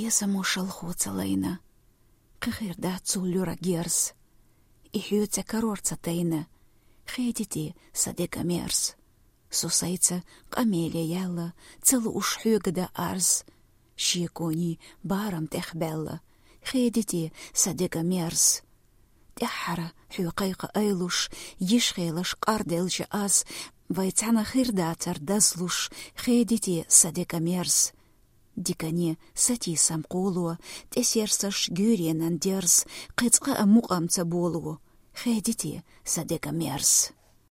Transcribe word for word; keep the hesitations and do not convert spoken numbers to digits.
Эса мо шалхо ца лайна, кхы хир дац цул луьра герз. И хьоьца карор ца тайна, хедите са дега мерз. Со сайца къамеле яьлла, ца лууш хьоьга да арз. Шекони барам тӀех баьлла, хедите са дега мерз. ТӀеххьара хьоьга кхайкха айлуш, йиш хилаш къарделча аз, вай цхьана хир дацар дазлуш, хедите са дега мерз. Дикане сатийсам кхоло, тӀесерсаш гуьйренан дерз, кхы цкъа а мукъам ца боло, хедите са дега мерз.